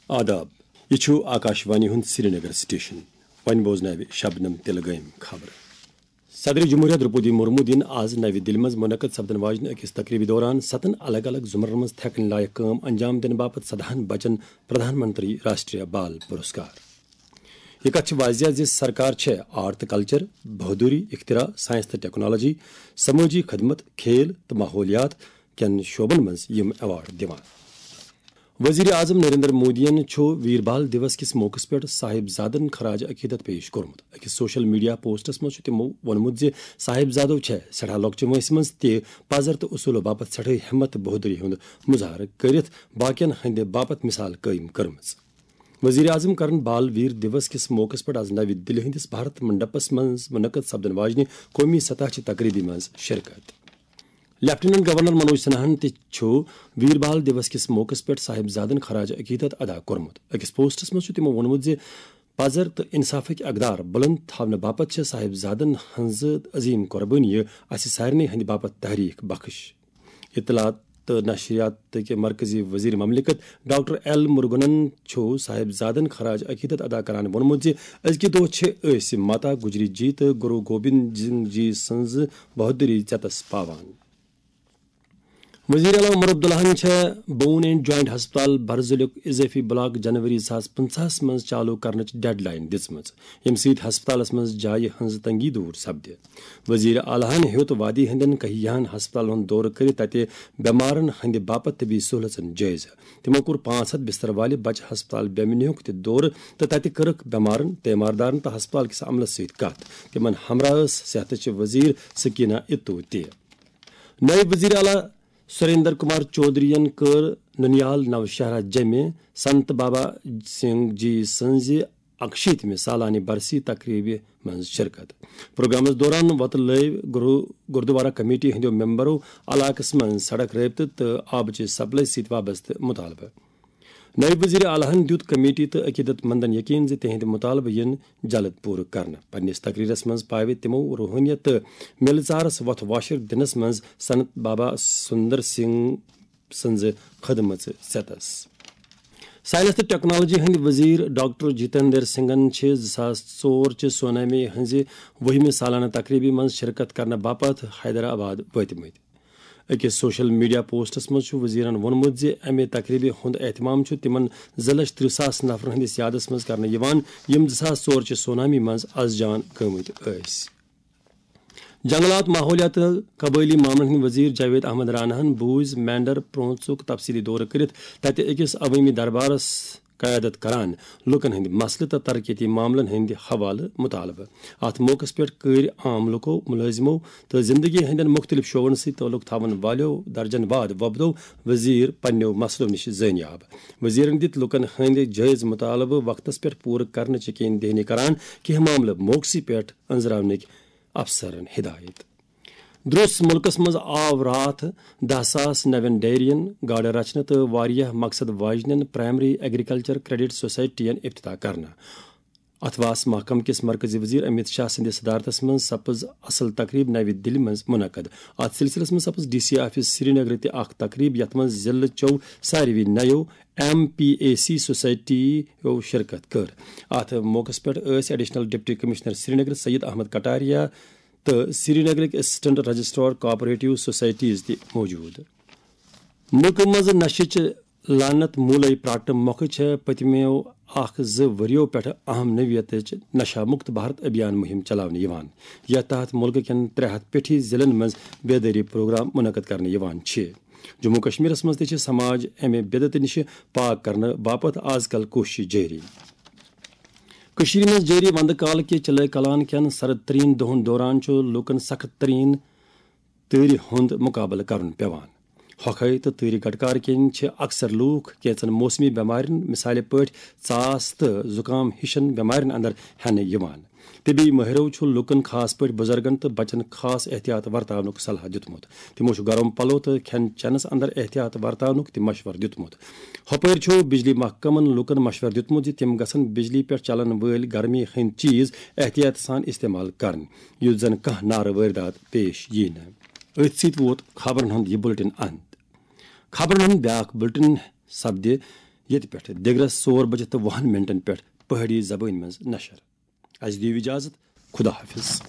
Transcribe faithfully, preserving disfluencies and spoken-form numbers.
آداب۔ یہِ چھُ آکاشوانی ہُنٛد سرینگر سٹیشن۔ وۄنۍ بوزناوِ شبنم تِلہٕ گٲمۍ خبرٕ۔ صدر جمہوریہ درپودی مرمو دِن آز نوِ دِلہِ منٛز منعقد سپدن واجنہِ أکِس تقریبہِ دوران ستن الگ الگ زمرن منٛز تھٮ۪کٕنۍ لایق کٲم انجام دِنہٕ باپتھ سداہن بچن پردھان منتری راشٹریہ بال پرسکار۔ یہِ کتھ چھِ واضح زِ سرکار چھےٚ آرٹ تہٕ کلچر، بہادری، اختراع، سائنس تہٕ ٹیکنالوجی، سمٲجی خدمت، کھیل تہٕ ماحولیات کٮ۪ن شعبن منٛز یِم ایوارڈ دِوان۔ وزیر اعظم نریندر مودیَن چھُ ویر بال دیوس کِس موقعس پٮ۪ٹھ صاحبزادن خراج عقیدت پیش کوٚرمُت۔ أکِس سوشل میڈیا پوسٹس منٛز چھُ تِمو ووٚنمُت زِ صاحبزادو چھےٚ سٮ۪ٹھاہ لۄکچہِ وٲنٛسہِ منٛز تہِ پزر تہٕ اصوٗلو باپتھ سٮ۪ٹھٕے ہمت تہٕ بہادری ہُنٛد مظاہرٕ کٔرِتھ باقین ہٕنٛدِ باپتھ مثال قٲیِم کٔرمٕژ۔ وزیر اعظم کرن بال ویر دیوس کِس موقعس پٮ۪ٹھ آز نوِ دِلہِ ہٕنٛدِس بھارت منڈپس منٛز منعقد سپدن واجنہِ قومی سطح چہِ تقریبہِ منٛز شرکت۔ لیفٹیننٹ گورنر منوج سنہاہن تہِ چھُ ویر بال دیوس کِس موقعس پٮ۪ٹھ صاحبزادن خراج عقیدت ادا کوٚرمُت۔ أکِس پوسٹس منٛز چھُ تِمو ووٚنمُت زِ پزر تہٕ انصافٕکۍ اقدار بلند تھاونہٕ باپتھ چھِ صاحبزادن ہٕنٛزٕ عظیم قربٲنی اسہِ سارنٕے ہٕنٛدِ باپتھ تحریک بخش۔ اطلاعات تہٕ نشریات کہِ مرکزی وزیر مملکت ڈاکٹر ایل مرگنن چھُ صاحبزادن خراج عقیدت ادا کران ووٚنمُت زِ أزکہِ دۄہ چھِ أسۍ ماتا گجری جی تہٕ گرو گوبند سنگھ جی سٕنٛز بہادری ژیتس پاوان۔ وزیر اعلیٰ عمر عبداللہن چھےٚ بون اینڈ جوائنٹ ہسپتال برزُلیُک اضافی بلاک جنوری زٕ ساس پنٛژاہس منٛز چالو کرنٕچ ڈیڈ لائن دِژمٕژ، ییٚمہِ سۭتۍ ہسپتالس منٛز جایہِ ہٕنٛز تنگی دور سپدِ۔ وزیر اعلیٰ ہن ہیوٚت وادی ہٕنٛدٮ۪ن کہیاہن ہسپتالن ہُنٛد دورٕ کٔرِتھ تتہِ بٮ۪مارن ہٕنٛدِ باپتھ طبی سہولژن جٲیزٕ۔ تِمو کوٚر پانٛژھ ہتھ بستر والہِ بچہٕ ہسپتال بیمنیُک تہِ دورٕ تہٕ تتہِ کٔرٕکھ بٮ۪مارن، تیماردارن تہٕ ہسپتال کِس عملس سۭتۍ کتھ۔ تِمن ہمراہ ٲس صحتٕچ وزیر سکینہ اتو تہِ۔ نٲیِب وزیر اعلیٰ سریندر کمار چودھرین کٔر ننیال نوشہرہ جمہِ سنت بابا سنگھ جی سٕنٛزِ اکشیٖتمہِ سالانہِ برسی تقریبہِ منٛز شرکت۔ پروگرامس دوران وۄتلٲوۍ گرو-، گردوارہ کمیٹی ہٕنٛدیو ممبرو علاقس منٛز سڑک رٲبطہٕ تہٕ آبٕچہِ سپلائی سۭتۍ وابستہٕ مطالبہٕ۔ نٲیِب وزیر اعلیٰ ہن دیُت کمیٹی تہٕ عقیدت مندن یقین زِ تِہنٛدۍ مطالبہٕ یِن جلد پوٗرٕ کرنہٕ۔ پننِس تقریرس منٛز پاوِ تِمو روحٲنیت تہٕ مِلہٕ ژارس وۄتھ واشر دِنس منٛز سنت بابا سندر سنگھ سٕنٛزِ خدمژ ژیتس۔ سائنس تہٕ ٹیکنالوجی ہٕنٛدۍ وزیر ڈاکٹر جتیندر سنگھن چھِ زٕ ساس ژور چہِ سونامی ہٕنٛزِ وُہمہِ سالانہٕ تقریبہِ منٛز شرکت کرنہٕ باپتھ حیدرآباد وٲتمٕتۍ۔ أکِس سوشل میڈیا پوسٹس منٛز چھُ وزیرن ووٚنمُت زِ امہِ تقریبہِ ہُنٛد اہتمام چھُ تِمن زٕ لچھ ترٕٛہ ساس نفرن ہٕنٛدِس یادس منٛز کرنہٕ یِوان، یِم زٕ ساس ژور چہِ سونامی منٛز از جان گٔمٕتۍ ٲسۍ۔ جنگلات، ماحولیات تہٕ قبٲئلی معاملن ہٕنٛدۍ وزیر جاوید احمد راناہن بوٗزۍ مینڈر پرونژُک تفصیلی دورٕ کٔرِتھ تتہِ أکِس عوٲمی دربارس قیادت کران لوٗکن ہٕنٛدۍ مسلہٕ تہٕ ترقیتی معاملن ہٕنٛدِ حوالہٕ مطالبہٕ۔ اتھ موقعس پٮ۪ٹھ کٔرۍ عام لوٗکو، مُلٲزمو تہٕ زندگی ہٕنٛدٮ۪ن مُختٔلِف شعبن سۭتۍ تعلق تھاوَن والٮ۪و درجن واد وۄپدو وزیر پننٮ۪و مسلو نِش زٲنیاب۔ وزیرن دِتۍ لوٗکن ہٕنٛدۍ جٲیز مطالبہٕ وقتس پٮ۪ٹھ پوٗرٕ کرنٕچ یقین دہانی کران، کینٛہہ معاملہٕ موقعسٕے پٮ۪ٹھ أنٛزراونٕکۍ افسرن ہدایت۔ درس ملکس منٛز آو راتھ دَہ ساس نوٮ۪ن ڈیرین، گاڈٕ رچھنہٕ تہٕ واریاہ مقصد واجنٮ۪ن پرائمری ایگریکلچر کریڈٹ سوسائٹین افتتاح کرنہٕ۔ اتھواس محکمہٕ کِس مرکزی وزیر امیت شاہ سٕنٛدِس صدارتس منٛز سپٕز اصل تقریب نوِ دِلہِ منٛز منعقد۔ اتھ سلسلس منٛز سپٕز ڈی سی آفس سرینگرٕ تہِ اکھ تقریب، یتھ منٛز ضلعہٕ چٮ۪و ساروی نَیو ایم پی اے سی سوسائٹیو شرکت کٔر۔ اتھ موقعس پٮ۪ٹھ ٲسۍ additional deputy commissioner Srinagar Syed Ahmad Kataria تہٕ سرینگرٕکۍ اسسٹنٹ رجسٹرار کوآپریٹو سوسائٹیز تہِ موجود۔ مُلکہٕ منٛز نشٕچ لعنت موٗلے پراٹنہٕ مۄکھٕ چھےٚ پٔتمیو اکھ زٕ ؤرِیو پٮ۪ٹھٕ اہم نوعیتٕچ نشہ مکت بھارت ابھیان مُہِم چلاونہٕ یِوان، یتھ تحت مُلکہٕ کٮ۪ن ترٛےٚ ہتھ پٮ۪ٹھی ضلعن منٛز بیدٲری پروگرام منعقد کرنہٕ یِوان چھِ۔ جموں کشمیرس منٛز تہِ چھِ سماج امہِ بدعتہٕ نِش پاک کرنہٕ باپتھ از کل کوٗشش جٲری۔ کٔشیٖرِ منٛز جٲری وندٕ کال کہِ چِلے کلان کٮ۪ن سرد ترین دۄہن دوران چھُ لوٗکن سخت ترین تۭرِ ہُنٛد مُقابلہٕ کرُن پٮ۪وان۔ ہۄکھے تہٕ تۭرِ گٹکار کِنۍ چھِ اکثر لوٗکھ کینٛژن موسمی بٮ۪مارٮ۪ن، مثالہِ پٲٹھۍ ژاس تہٕ زُکام ہِشن بٮ۪مارٮ۪ن اندر ہٮ۪نہٕ یِوان۔ طبی مٲہرو چھُ لوٗکن، خاص پٲٹھۍ بُزرگن تہٕ بچن، خاص احتیاط ورتاونُک صلاح دیُتمُت۔ تِمو چھُ گرم پلو تہٕ کھٮ۪ن چٮ۪نس اندر احتیاط ورتاونُک تہِ مشورٕ دیُتمُت۔ ہۄپٲرۍ چھُ بجلی محکمن لوٗکن مشورٕ دیُتمُت زِ تِم گژھن بجلی پٮ۪ٹھ چلن وٲلۍ گرمی ہٕنٛدۍ چیز احتیاط سان استعمال کرٕنۍ، یُتھ زن کانٛہہ نارٕ وٲرۍدات پیش ییہِ نہٕ۔ أتھۍ سۭتۍ ووت خبرن ہُنٛد یہِ بُلٹن اند۔ خبرن ہُنٛد بیٛاکھ بُلٹن سپدِ ییٚتہِ پٮ۪ٹھ دِگرس ژور بجہِ تہٕ وُہن منٹن پٮ۪ٹھ پہٲڑی زبٲنۍ منٛز نشر۔ اسہِ دِیِو اجازت، خدا حافظ۔